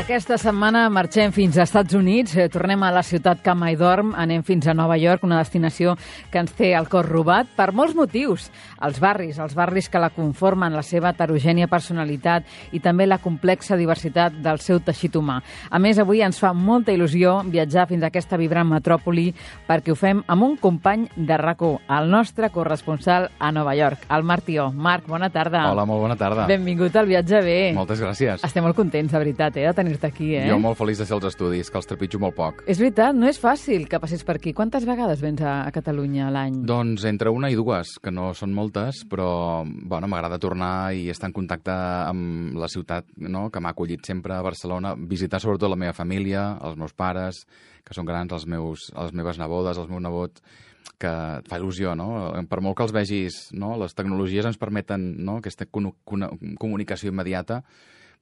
Aquesta setmana marxem fins als Estats Units, tornem a la ciutat que mai dorm, anem fins a Nova York, una destinació que ens té el cor robat per molts motius. Els barris que la conformen, la seva heterogènia personalitat i també la complexa diversitat del seu teixit humà. A més, avui ens fa molta il·lusió viatjar fins a aquesta vibrant metròpoli perquè ho fem amb un company de RAC1, el nostre corresponsal a Nova York, el Marc Tió. Marc, bona tarda. Hola, molt bona tarda. Benvingut al Viatge Bé. Moltes gràcies. Estem molt contents, de veritat, de tenir-te aquí. Jo molt feliç de ser als estudis, que els trepitjo molt poc. És veritat, no és fàcil que passis per aquí. Quantes vegades vens a Catalunya a l'any? Doncs entre una i dues, que no són moltes, però bueno, m'agrada tornar i estar en contacte amb la ciutat, no?, que m'ha acollit sempre a Barcelona, visitar sobretot la meva família, els meus pares, que són grans, les meves nebodes, els meus nebots, que fa il·lusió, no? Per molt que els vegis, no?, les tecnologies ens permeten, no?, aquesta comunicació immediata,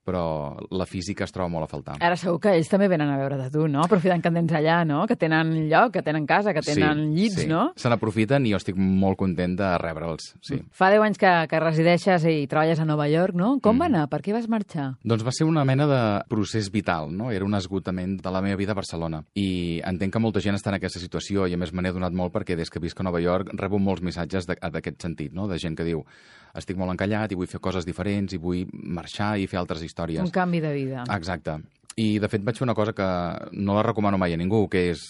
però la física es troba molt a faltar. Ara segur que ells també venen a veure de tu, no? Aprofitant que tens allà, no? Que tenen lloc, que tenen casa, que tenen llits, no? Se n'aprofiten i jo estic molt content de rebre'ls, sí. Fa 10 anys que resideixes i treballes a Nova York, no? Com va anar? Per què vas marxar? Doncs va ser una mena de procés vital, no? Era un esgotament de la meva vida a Barcelona. I entenc que molta gent està en aquesta situació i a més me n'he donat molt perquè des que visc a Nova York rebo molts missatges d'aquest sentit, no? De gent que diu: estic molt encallat i vull fer coses diferents i vull marxar i fer altres històries. Un canvi de vida. Exacte. I, de fet, vaig fer una cosa que no la recomano mai a ningú, que és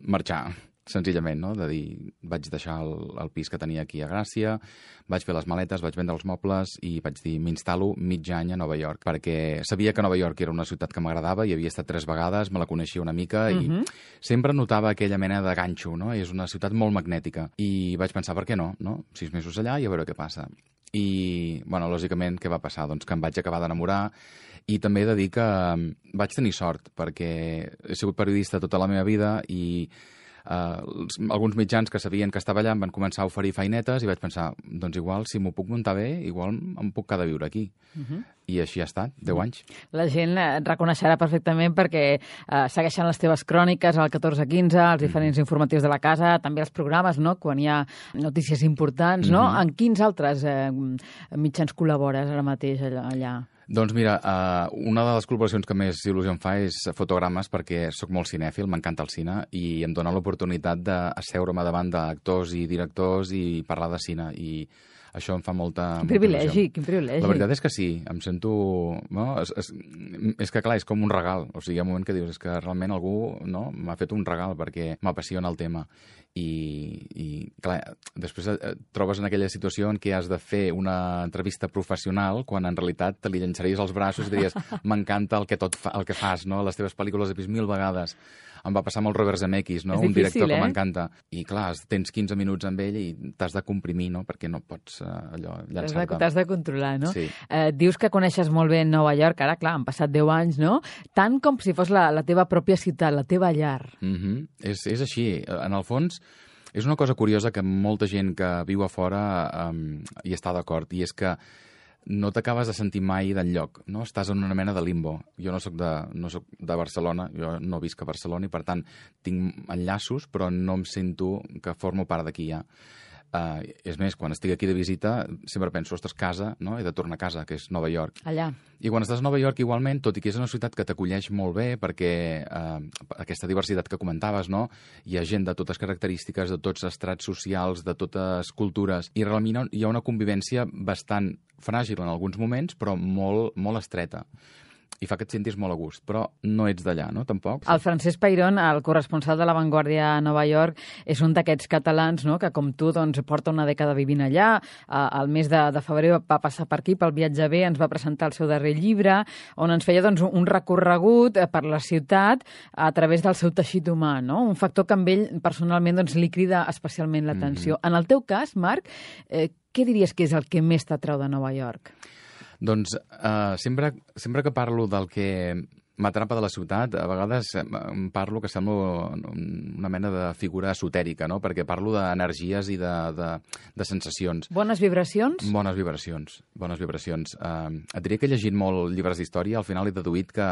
marxar, senzillament, no? De dir, vaig deixar el pis que tenia aquí a Gràcia, vaig fer les maletes, vaig vendre els mobles i vaig dir, m'instal·lo mig any a Nova York, perquè sabia que Nova York era una ciutat que m'agradava, hi havia estat 3 vegades, me la coneixia una mica i sempre notava aquella mena de ganxo, no? És una ciutat molt magnètica. I vaig pensar, per què no? 6 mesos allà i a veure què passa. I, bueno, lògicament, què va passar? Doncs que em vaig acabar d'enamorar i també he de dir que vaig tenir sort perquè he sigut periodista tota la meva vida i alguns mitjans que sabien que estava allà em van començar a oferir feinetes i vaig pensar, doncs igual, si m'ho puc muntar bé, igual em puc quedar a viure aquí. I així ha estat, 10 anys. La gent et reconeixerà perfectament perquè segueixen les teves cròniques al 14-15, els diferents informatius de la casa, també els programes, no?, quan hi ha notícies importants, no? En quins altres mitjans col·labores ara mateix allà? Doncs mira, una de les col·laboracions que més il·lusió em fa és Fotogrames, perquè sóc molt cinèfil, m'encanta el cine, i em dona l'oportunitat d'asseure'm davant d'actors i directors i parlar de cine, i això em fa molta il·lusió. Quin privilegi. La veritat és que sí, em sento... No? És que, clar, és com un regal. O sigui, hi ha un moment que dius, és que realment algú, no?, m'ha fet un regal perquè m'apassiona el tema. I clar, després et trobes en aquella situació en què has de fer una entrevista professional quan en realitat te li llançaries als braços i diries, m'encanta el que fas, no? Les teves pel·lícules he vist 1000 vegades. Em va passar amb el Robert Zemeckis, no? Un director que m'encanta. I clar, tens 15 minuts amb ell i t'has de comprimir, no? Perquè no pots allò llançar-te. T'has de controlar, no? Sí. Dius que coneixes molt bé Nova York, ara, clar, han passat 10 anys, no? Tant com si fos la teva pròpia ciutat, la teva llar. És així. En el fons, és una cosa curiosa que molta gent que viu a fora hi està d'acord, i és que no t'acabes de sentir mai d'enlloc, no? Estàs en una mena de limbo. Jo no soc de Barcelona, jo no visc a Barcelona i, per tant, tinc enllaços, però no em sento que formo part d'aquí ja. És més, quan estic aquí de visita, sempre penso, ostres, casa, no? He de tornar a casa, que és Nova York. Allà. I quan estàs a Nova York, igualment, tot i que és una ciutat que t'acolleix molt bé, perquè aquesta diversitat que comentaves, no? Hi ha gent de totes característiques, de tots estrats socials, de totes cultures, i realment hi ha una convivència bastant fràgil en alguns moments, però molt, molt estreta. I fa que et sentis molt a gust, però no ets d'allà, no?, tampoc. El Francesc Peirón, el corresponsal de La Vanguardia a Nova York, és un d'aquests catalans, no?, que com tu doncs, porta una dècada vivint allà. Al mes de febrer va passar per aquí, pel Viatge Bé, ens va presentar el seu darrer llibre, on ens feia doncs, un recorregut per la ciutat a través del seu teixit humà, no? Un factor que amb ell personalment doncs, li crida especialment l'atenció. En el teu cas, Marc, què diries que és el que més t'atrau de Nova York? Doncs sempre que parlo del que m'atrapa de la ciutat, a vegades parlo que sembla una mena de figura esotèrica, no? Perquè parlo d'energies i de sensacions. Bones vibracions? Bones vibracions. Et diria que he llegit molt llibres d'història, al final he deduït que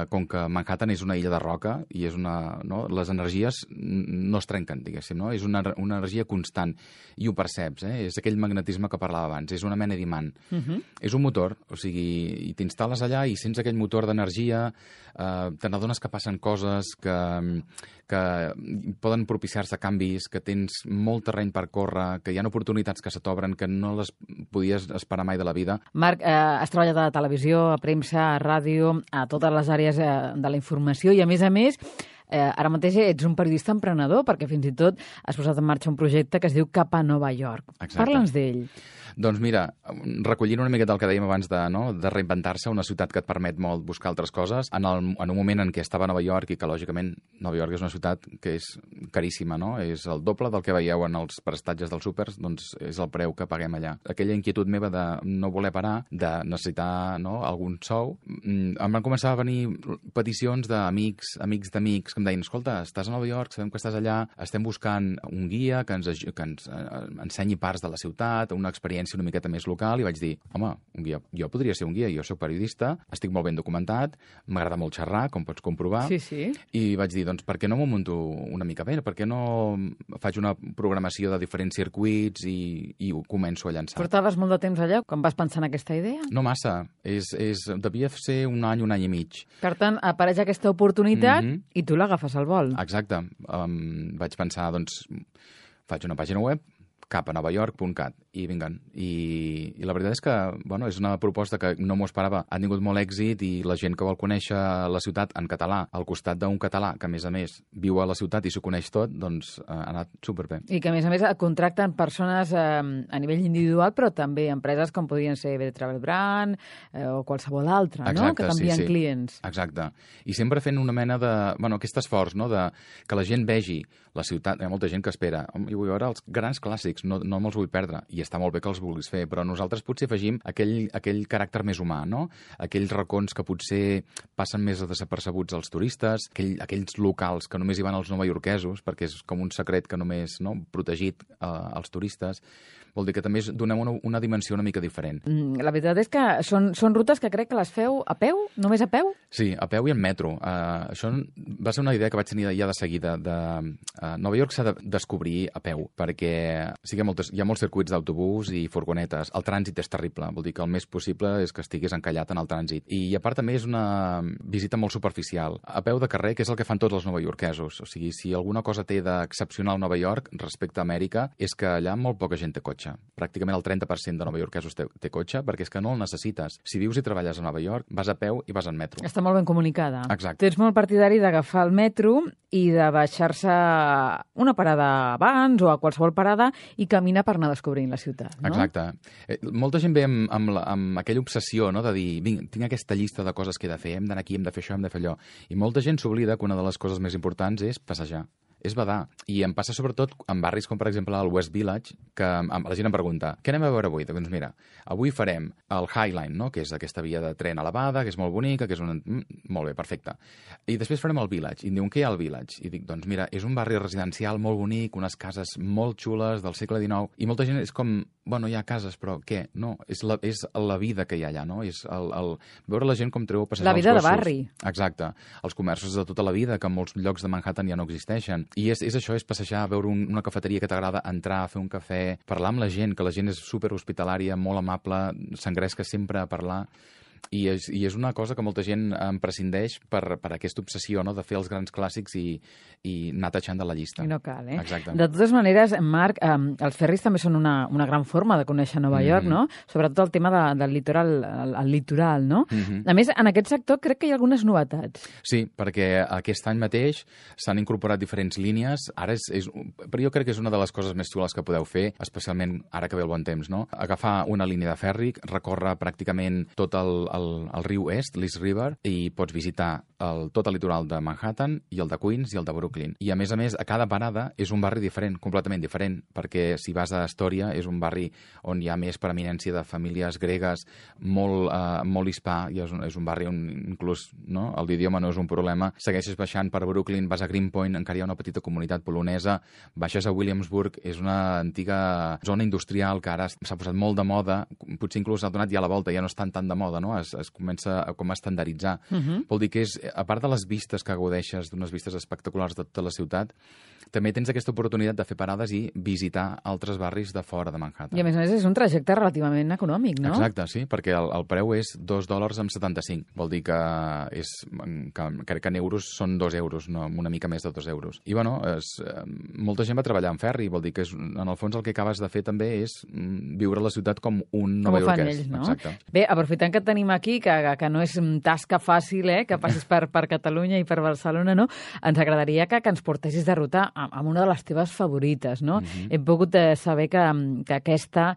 com que Manhattan és una illa de roca i és les energies no es trenquen, diguéssim, no? És una energia constant i ho perceps, és aquell magnetisme que parlava abans, és una mena d'imant. És un motor, o sigui, i t'instal·les allà i sents aquell motor d'energia, te n'adones que passen coses, que poden propiciar-se canvis, que tens molt terreny per córrer, que hi ha oportunitats que se t'obren que no les podies esperar mai de la vida. Marc, has treballat a televisió, a premsa, a ràdio, a totes les àrees de la informació i, a més, ara mateix ets un periodista emprenedor perquè fins i tot has posat en marxa un projecte que es diu Cap a Nova York. Exacte. Parla'ns d'ell. Doncs mira, recollint una miqueta el que dèiem abans de reinventar-se, una ciutat que et permet molt buscar altres coses, en un moment en què estava a Nova York i que, lògicament, Nova York és una ciutat que és caríssima, no? És el doble del que veieu en els prestatges dels súpers, doncs és el preu que paguem allà. Aquella inquietud meva de no voler parar, de necessitar algun sou, em van començar a venir peticions d'amics d'amics que em deien, escolta, estàs a Nova York, sabem que estàs allà, estem buscant un guia que ens ensenyi parts de la ciutat, una experiència una miqueta més local, i vaig dir, home, un guia, jo podria ser un guia, jo soc periodista, estic molt ben documentat, m'agrada molt xerrar, com pots comprovar, sí. I vaig dir, doncs, per què no m'ho munto una mica bé? Per què no faig una programació de diferents circuits i ho començo a llançar? Portaves molt de temps allà quan vas pensar en aquesta idea? No massa, devia ser un any i mig. Per tant, apareix aquesta oportunitat i tu l'agafes al vol. Exacte. Vaig pensar, doncs, faig una pàgina web, capanovayork.cat, i vinguen. I la veritat és que, bueno, és una proposta que no m'ho esperava. Ha tingut molt èxit i la gent que vol conèixer la ciutat en català, al costat d'un català que, a més, viu a la ciutat i s'ho coneix tot, doncs ha anat superbé. I que, a més, contracten persones a nivell individual, però també empreses com podrien ser Travel Brand o qualsevol altra, no? Que t'envien clients. Exacte. I sempre fent una mena de... Bueno, aquest esforç, no?, de que la gent vegi la ciutat. Hi ha molta gent que espera. Jo vull veure els grans clàssics, no me'ls vull perdre. I està molt bé que els vulguis fer, però nosaltres potser afegim aquell caràcter més humà, no? Aquells racons que potser passen més desapercebuts als turistes, aquells locals que només hi van els novaiorquesos, perquè és com un secret que només protegit als turistes. Vol dir que també donem una dimensió una mica diferent. La veritat és que són rutes que crec que les feu a peu? Només a peu? Sí, a peu i en metro. Això va ser una idea que vaig tenir ja de seguida. Nova York s'ha de descobrir a peu, perquè hi ha molts circuits d'autobús i furgonetes. El trànsit és terrible, vol dir que el més possible és que estiguis encallat en el trànsit. I a part també és una visita molt superficial. A peu de carrer, que és el que fan tots els novaiorquesos. O sigui, si alguna cosa té d'excepcional Nova York respecte a Amèrica, és que allà molt poca gent té cotxe. Pràcticament el 30% de novaiorquesos té cotxe, perquè és que no el necessites. Si vius i treballes a Nova York, vas a peu i vas en metro. Està molt ben comunicada. Exacte. Tu ets molt partidari d'agafar el metro i de baixar-se una parada abans o a qualsevol parada i caminar per anar descobrint la ciutat, no? Exacte. Molta gent ve amb aquella obsessió, no?, de dir, vinga, tinc aquesta llista de coses que he de fer, hem d'anar aquí, hem de fer això, hem de fer allò. I molta gent s'oblida que una de les coses més importants és passejar. És badar. I em passa sobretot en barris com, per exemple, el West Village, que la gent em pregunta, què anem a veure avui? Doncs mira, avui farem el High Line, no?, que és aquesta via de tren elevada, que és molt bonica, que és molt bé, perfecte. I després farem el Village. I em diuen, què hi ha al Village? I dic, doncs mira, és un barri residencial molt bonic, unes cases molt xules del segle XIX, i molta gent és com, bueno, hi ha cases, però què? No, és la vida que hi ha allà, no? És veure la gent com treu a passejar els gossos. La vida de barri. Exacte. Els comerços de tota la vida, que en molts llocs de Manhattan ja no existeixen. I és això, és passejar, veure una cafeteria que t'agrada, entrar, fer un cafè, parlar amb la gent, que la gent és superhospitalària, molt amable, s'engresca sempre a parlar. I és una cosa que molta gent em prescindeix per aquesta obsessió, no?, de fer els grans clàssics i anar tachant de la llista. I no cal, eh? Exacte. De totes maneres, Marc, els ferris també són una gran forma de conèixer Nova York, no? Sobretot el tema del litoral, el litoral, no? A més, en aquest sector crec que hi ha algunes novetats. Sí, perquè aquest any mateix s'han incorporat diferents línies. Ara però jo crec que és una de les coses més xules que podeu fer, especialment ara que ve el bon temps, no? Agafar una línia de ferri, recórrer pràcticament tot el riu est, l'East River, i pots visitar tot el litoral de Manhattan i el de Queens i el de Brooklyn. I a més, a cada parada és un barri diferent, completament diferent, perquè si vas a Astoria és un barri on hi ha més preeminència de famílies gregues, molt hispà, i és un barri on inclús l'idioma no és un problema. Segueixes baixant per Brooklyn, vas a Greenpoint, encara hi ha una petita comunitat polonesa, baixes a Williamsburg, és una antiga zona industrial que ara s'ha posat molt de moda, potser inclús ha donat ja la volta, ja no és tan de moda, no?, es comença com a estandarditzar. Vol dir que a part de les vistes que gaudeixes, d'unes vistes espectaculars de tota la ciutat, també tens aquesta oportunitat de fer parades i visitar altres barris de fora de Manhattan. I a més és un trajecte relativament econòmic, no? Exacte, sí, perquè el preu és $2,75. Vol dir que crec que en euros són 2 euros, no, una mica més de 2 euros. I bueno, molta gent va treballar en ferri, vol dir que en el fons el que acabes de fer també és viure la ciutat com un novaiorquès. No? Exacte. Bé, aprofitant que et tenim aquí, que no és tasca fàcil, que passis per Catalunya i per Barcelona, no? Ens agradaria que ens portessis de ruta amb una de les teves favorites, no? Hem pogut saber que aquesta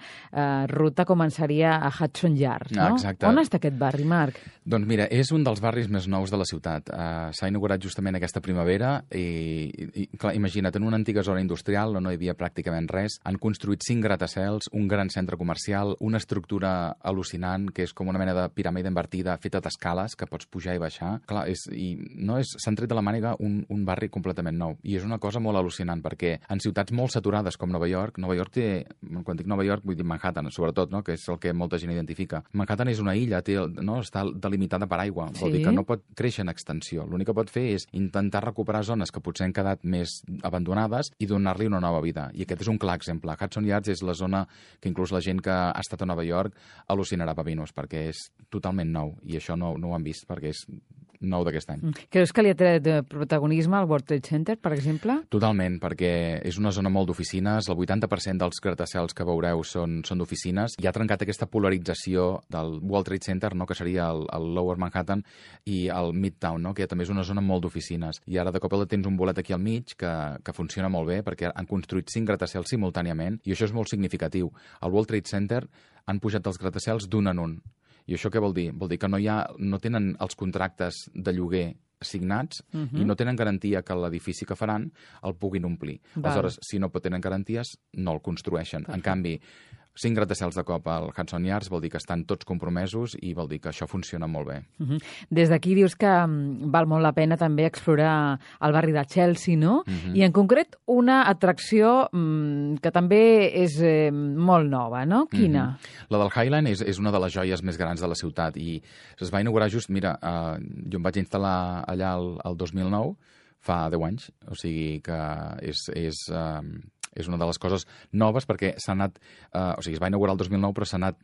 ruta començaria a Hudson Yards, no? Exacte. On està aquest barri, Marc? Doncs mira, és un dels barris més nous de la ciutat. S'ha inaugurat justament aquesta primavera i clar, imagina't, en una antiga zona industrial on no hi havia pràcticament res, han construït 5 gratacels, un gran centre comercial, una estructura al·lucinant, que és com una mena de piràmide invertida feta d'escales, que pots pujar i baixar. Clar, s'han tret de la màniga un barri completament nou. I és una cosa molt al·lucinant, perquè en ciutats molt saturades com Nova York té, quan dic Nova York vull dir Manhattan, sobretot, no? Que és el que molta gent identifica. Manhattan és una illa, està delimitada per aigua, vol dir que no pot créixer en extensió. L'únic que pot fer és intentar recuperar zones que potser han quedat més abandonades i donar-li una nova vida. I aquest és un clar exemple. Hudson Yards és la zona que inclús la gent que ha estat a Nova York al·lucinarà pavinos, perquè és totalment nou, i això no ho han vist, perquè és nou d'aquest any. Creus que li ha tret protagonisme al World Trade Center, per exemple? Totalment, perquè és una zona molt d'oficines, el 80% dels gratacels que veureu són d'oficines, i ha trencat aquesta polarització del World Trade Center, no?, que seria el Lower Manhattan, i el Midtown, no?, que també és una zona molt d'oficines. I ara de cop tens un bolet aquí al mig que funciona molt bé, perquè han construït 5 gratacels simultàniament, i això és molt significatiu. Al World Trade Center han pujat els gratacels d'un en un. I això què vol dir? Vol dir que no tenen els contractes de lloguer signats i no tenen garantia que l'edifici que faran el puguin omplir. Aleshores, si no tenen garanties, no el construeixen. En canvi, 5 gratacels de cop al Hudson Yards vol dir que estan tots compromesos i vol dir que això funciona molt bé. Des d'aquí dius que val molt la pena també explorar el barri de Chelsea, no? I en concret una atracció que també és molt nova, no? Quina? La del Highline és una de les joies més grans de la ciutat i es va inaugurar just, mira, jo em vaig instal·lar allà el 2009, fa 10 anys, o sigui que és una de les coses noves perquè s'ha anat, o sigui, es va inaugurar el 2009 però s'ha anat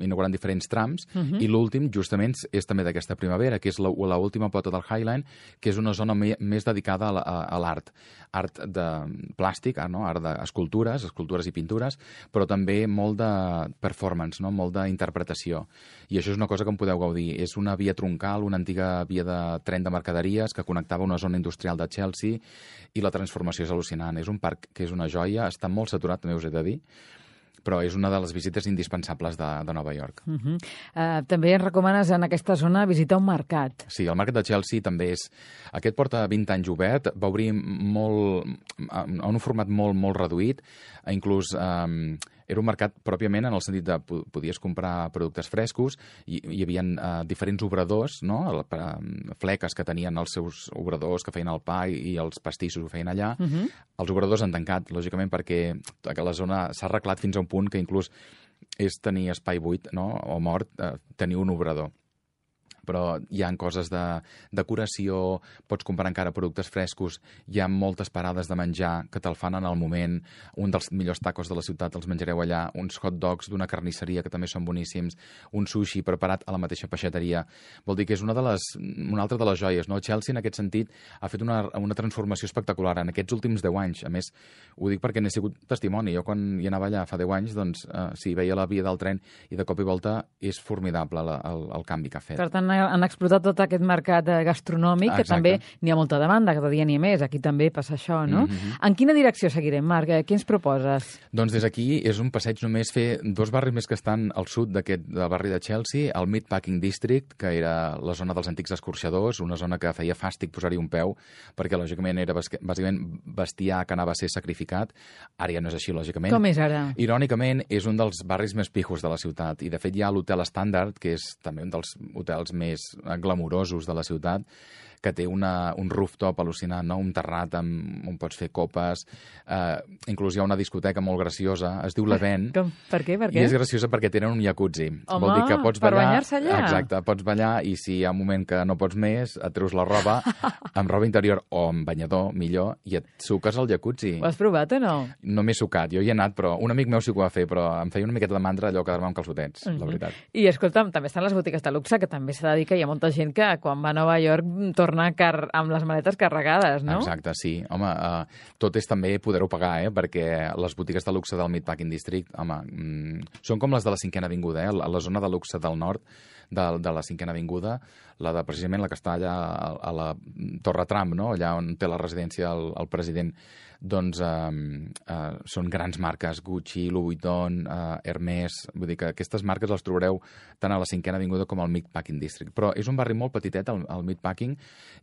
inaugurant diferents trams i l'últim justament és també d'aquesta primavera, que és l'última pota del Highline, que és una zona més dedicada a l'art. Art de plàstic, art d'escultures, escultures i pintures, però també molt de performance, no? Molt d'interpretació. I això és una cosa que en podeu gaudir. És una via troncal, una antiga via de tren de mercaderies que connectava una zona industrial de Chelsea i la transformació és al·lucinant. És un parc que és una joia, està molt saturat, també us he de dir, però és una de les visites indispensables de Nova York. També ens recomanes en aquesta zona visitar un mercat. Sí, el mercat de Chelsea també és... Aquest porta 20 anys obert, va obrir en un format molt, molt reduït, inclús... Era un mercat pròpiament en el sentit de podies comprar productes frescos, hi havia diferents obradors, no? Fleques que tenien els seus obradors que feien el pa i els pastissos ho feien allà. Els obradors han tancat, lògicament, perquè la zona s'ha arreglat fins a un punt que inclús és tenir espai buit, no? O mort, tenir un obrador. Però hi ha coses de decoració, pots comprar encara productes frescos, hi ha moltes parades de menjar que te'l fan en el moment, un dels millors tacos de la ciutat els menjareu allà, uns hot dogs d'una carnisseria que també són boníssims, un sushi preparat a la mateixa peixateria. Vol dir que és una altra de les joies, no? Chelsea, en aquest sentit, ha fet una transformació espectacular en aquests últims 10 anys. A més, ho dic perquè n'he sigut testimoni. Jo quan hi anava allà fa 10 anys, doncs, sí, veia la via del tren i de cop i volta és formidable el canvi que ha fet. Per tant, han explotat tot aquest mercat gastronòmic, que també n'hi ha molta demanda, cada dia n'hi ha més. Aquí també passa això, no? En quina direcció seguirem, Marc? Què ens proposes? Doncs des d'aquí és un passeig només fer 2 barris més que estan al sud del barri de Chelsea, el Meatpacking District, que era la zona dels antics escorxadors, una zona que feia fàstic posar-hi un peu, perquè lògicament era bàsicament bestiar que anava a ser sacrificat. Ara ja no és així, lògicament. Com és ara? Irònicament, és un dels barris més pijos de la ciutat, i de fet hi ha l'Hotel Standard, que és també un dels hotels més glamourosos de la ciutat, que té un rooftop al·lucinant, no? Un terrat on pots fer copes. Inclús hi ha una discoteca molt graciosa, es diu l'Event. Per què? I és graciosa perquè tenen un jacuzzi. Home, vol dir que pots per ballar, banyar-se allà? Exacte, pots ballar i si hi ha un moment que no pots més, et treus la roba amb roba interior o amb banyador, millor, i et suques al jacuzzi. Ho has provat o no? No m'he sucat, jo hi he anat, però un amic meu sí que ho va fer, però em feia una miqueta de mandra allò quedar-me amb calçotets, la veritat. I escolta'm, també estan les botigues de luxe, que també s'ha de dir que hi ha molta gent que quan va a Nova York torna amb les maletes carregades, no? Exacte, sí. Home, tot és també poder-ho pagar, perquè les botigues de luxe del Meatpacking District, home, són com les de la 5a Avinguda, a la zona de luxe del nord de la 5a Avinguda, precisament la que està allà a la Torre Trump, no? Allà on té la residència el president. Doncs són grans marques, Gucci, Louis Vuitton, Hermès, vull dir que aquestes marques les trobareu tant a la 5a Avinguda com al Meatpacking District. Però és un barri molt petitet, el Meatpacking,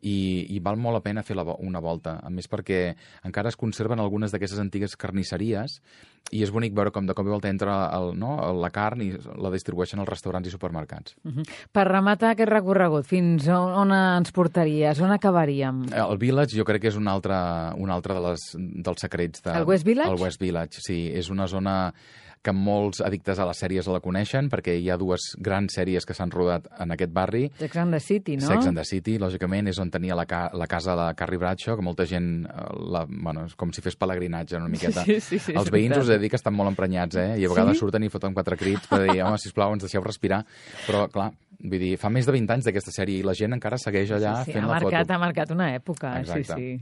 i val molt la pena fer una volta. A més perquè encara es conserven algunes d'aquestes antigues carnisseries i és bonic veure com de cop i volta entra la carn i la distribueixen als restaurants i supermercats. Per rematar aquest recorregut, fins on ens portaries? On acabaríem? El Village jo crec que és un altre dels secrets El West Village? El West Village, sí. És una zona que molts addictes a les sèries la coneixen, perquè hi ha dues grans sèries que s'han rodat en aquest barri. Sex and the City, no? Sex and the City, lògicament, és on tenia la casa de Carrie Bradshaw, que molta gent, és com si fes pelegrinatge una miqueta. Sí, Els veïns us he de dir que estan molt emprenyats, i a vegades surten i foten 4 crits per dir, home, sisplau, ens deixeu respirar. Però, clar, vull dir, fa més de 20 anys d'aquesta sèrie i la gent encara segueix allà fent la foto. Ha marcat una època, exacte. Sí.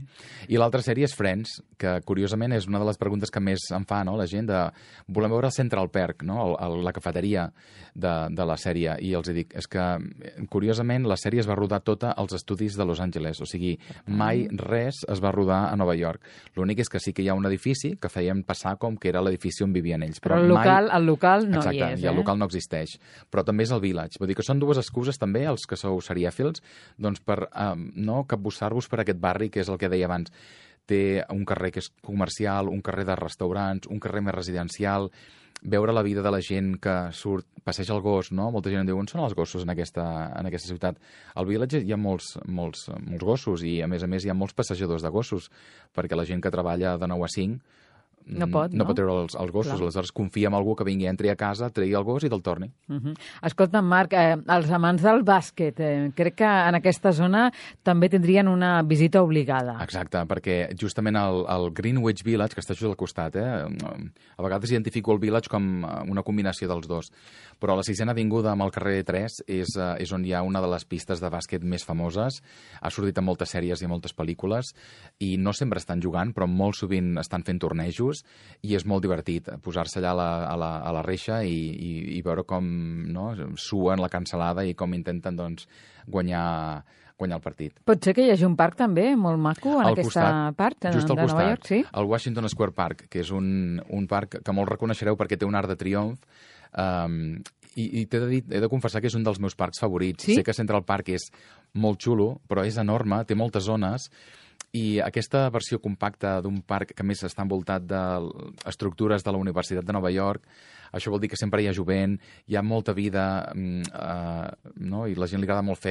I l'altra sèrie és Friends, que curiosament és una de les preguntes que més em fa, no?, la gent de volem veure el Central Perk, no?, la cafeteria de la sèrie, i els dic, és que curiosament la sèrie es va rodar tota als estudis de Los Angeles, o sigui, mai res es va rodar a Nova York. L'únic és que sí que hi ha un edifici que feien passar com que era l'edifici on vivien ells. Però el local no exacte, hi és, i el local no existeix. Però també és el Village. Vull dir que són dues excuses també, els que sou serièfils, doncs per no capbussar-vos per aquest barri, que és el que deia abans. Té un carrer que és comercial, un carrer de restaurants, un carrer més residencial, veure la vida de la gent que surt, passeja el gos, no? Molta gent em diu, on són els gossos en aquesta ciutat? Al Village hi ha molts gossos i, a més, hi ha molts passejadors de gossos, perquè la gent que treballa de 9 a 5 no pot treure els gossos. Clar. Aleshores confia en algú que vingui, entri a casa, tregui el gos i te'l torni. Escolta'm, Marc, els amants del bàsquet, crec que en aquesta zona també tindrien una visita obligada. Exacte, perquè justament el Greenwich Village, que està just al costat, a vegades identifico el Village com una combinació dels dos, però a la 6a Avinguda amb el carrer 3 és on hi ha una de les pistes de bàsquet més famoses. Ha sortit en moltes sèries i en moltes pel·lícules i no sempre estan jugant, però molt sovint estan fent tornejos i és molt divertit posar-se allà a la reixa i veure com suen la cansalada i com intenten guanyar el partit. Pot ser que hi hagi un parc també molt maco en aquesta part de Nova York, sí? El Washington Square Park, que és un parc que molt reconeixereu perquè té un arc de triomf, i he de confessar que és un dels meus parcs favorits. Sí? Sé que Central Park és molt xulo, però és enorme, té moltes zones, i aquesta versió compacta d'un parc que més està envoltat d'estructures de la Universitat de Nova York, això vol dir que sempre hi ha jovent, hi ha molta vida, no? I la gent li agrada molt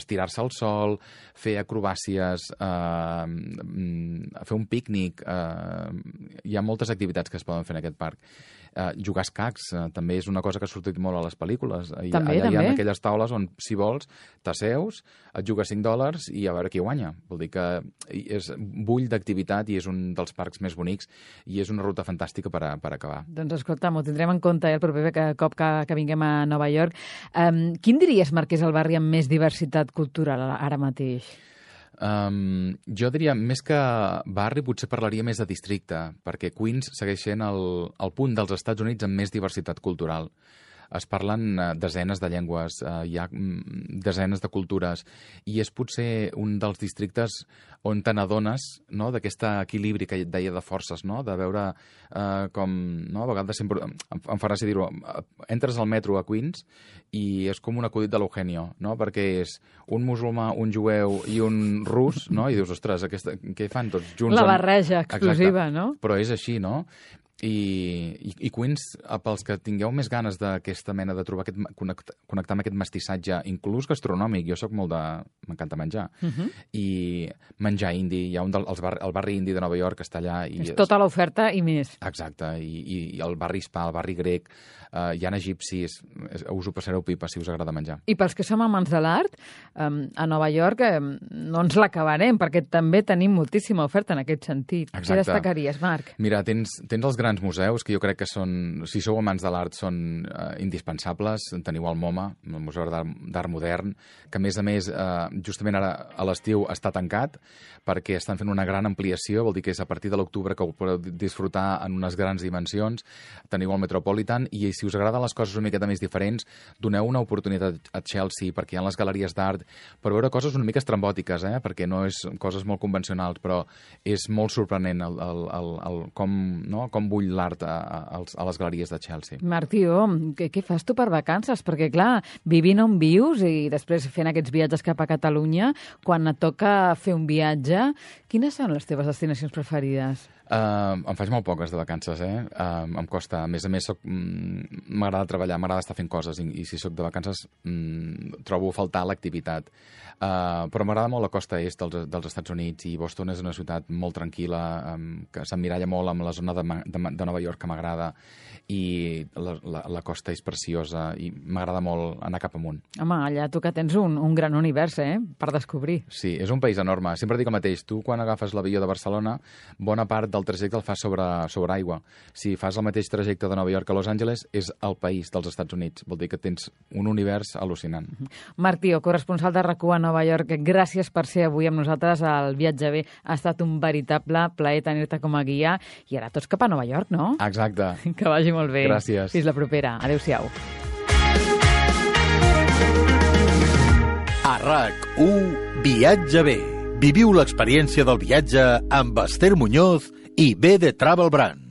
estirar-se al sol, fer acrobàcies, fer un pícnic. Hi ha moltes activitats que es poden fer en aquest parc. Jugar a escacs també és una cosa que ha sortit molt a les pel·lícules. També. Hi ha aquelles taules on, si vols, t'asseus, et jugues $5 i a veure qui guanya. Vol dir que és bull d'activitat i és un dels parcs més bonics i és una ruta fantàstica per acabar. Doncs escolta, m'ho tindrem en compte el proper cop que vinguem a Nova York. Quin diries, Marc, és el barri amb més diversitat cultural ara mateix? Jo diria, més que barri, potser parlaria més de districte, perquè Queens segueix sent el punt dels Estats Units amb més diversitat cultural. Es parlen desenes de llengües, hi ha desenes de cultures, i és potser un dels districtes on te n'adones, no?, d'aquest equilibri que et deia de forces, no?, de veure com, no?, a vegades sempre em fa gràcia dir-ho, entres al metro a Queens i és com un acudit de l'Eugenio, no?, perquè és un musulmà, un jueu i un rus, no?, i dius, ostres, què fan tots junts? La barreja explosiva, exacte, no? Però és així, no? I Queens, pels que tingueu més ganes d'aquesta mena de trobar connectar amb aquest mestissatge, inclús gastronòmic, jo sóc molt de... m'encanta menjar. I menjar indi, hi ha el barri indi de Nova York que està allà. És tota l'oferta i més. Exacte, i el barri hispà, el barri grec, hi ha egipcis, us ho passareu pipa si us agrada menjar. I pels que som amants de l'art, a Nova York no ens l'acabarem, perquè també tenim moltíssima oferta en aquest sentit. Exacte. Què destacaries, Marc? Mira, tens els grans museus, que jo crec que són, si sou amants de l'art, són indispensables. Teniu el MoMA, el Museu d'Art Modern, que a més, justament ara a l'estiu està tancat, perquè estan fent una gran ampliació, vol dir que és a partir de l'octubre que ho podeu disfrutar en unes grans dimensions. Teniu el Metropolitan, i si us agraden les coses una miqueta més diferents, doneu una oportunitat a Chelsea, perquè hi ha les galeries d'art, per veure coses una mica estrambòtiques, perquè no és coses molt convencionals, però és molt sorprenent com bull l'art a les galeries de Chelsea. Martí, què fas tu per vacances? Perquè, clar, vivint on vius i després fent aquests viatges cap a Catalunya, quan et toca fer un viatge, quines són les teves destinacions preferides? Em faig molt poques de vacances, em costa. A més, m'agrada treballar, m'agrada estar fent coses, i si sóc de vacances trobo a faltar l'activitat. Però m'agrada molt la costa est dels Estats Units, i Boston és una ciutat molt tranquil·la, que s'emmiralla molt amb la zona de Nova York, que m'agrada, i la costa és preciosa, i m'agrada molt anar cap amunt. Home, allà tu que tens un gran univers, per descobrir. Sí, és un país enorme. Sempre dic el mateix. Tu, quan agafes l'avió de Barcelona, bona part del trajecte el fas sobre aigua. Si fas el mateix trajecte de Nova York a Los Angeles, és el país dels Estats Units. Vol dir que tens un univers al·lucinant. Martí, corresponsal de RAC1 a Nova York, gràcies per ser avui amb nosaltres al Viatge Bé. Ha estat un veritable plaer tenir-te com a guia, i ara tots cap a Nova York, no? Exacte. Que vagi molt bé. Gràcies. Fins la propera. Adéu-siau. A RAC1 Viatge Bé. Viviu l'experiència del viatge amb Esther Muñoz i B de Travel Brand.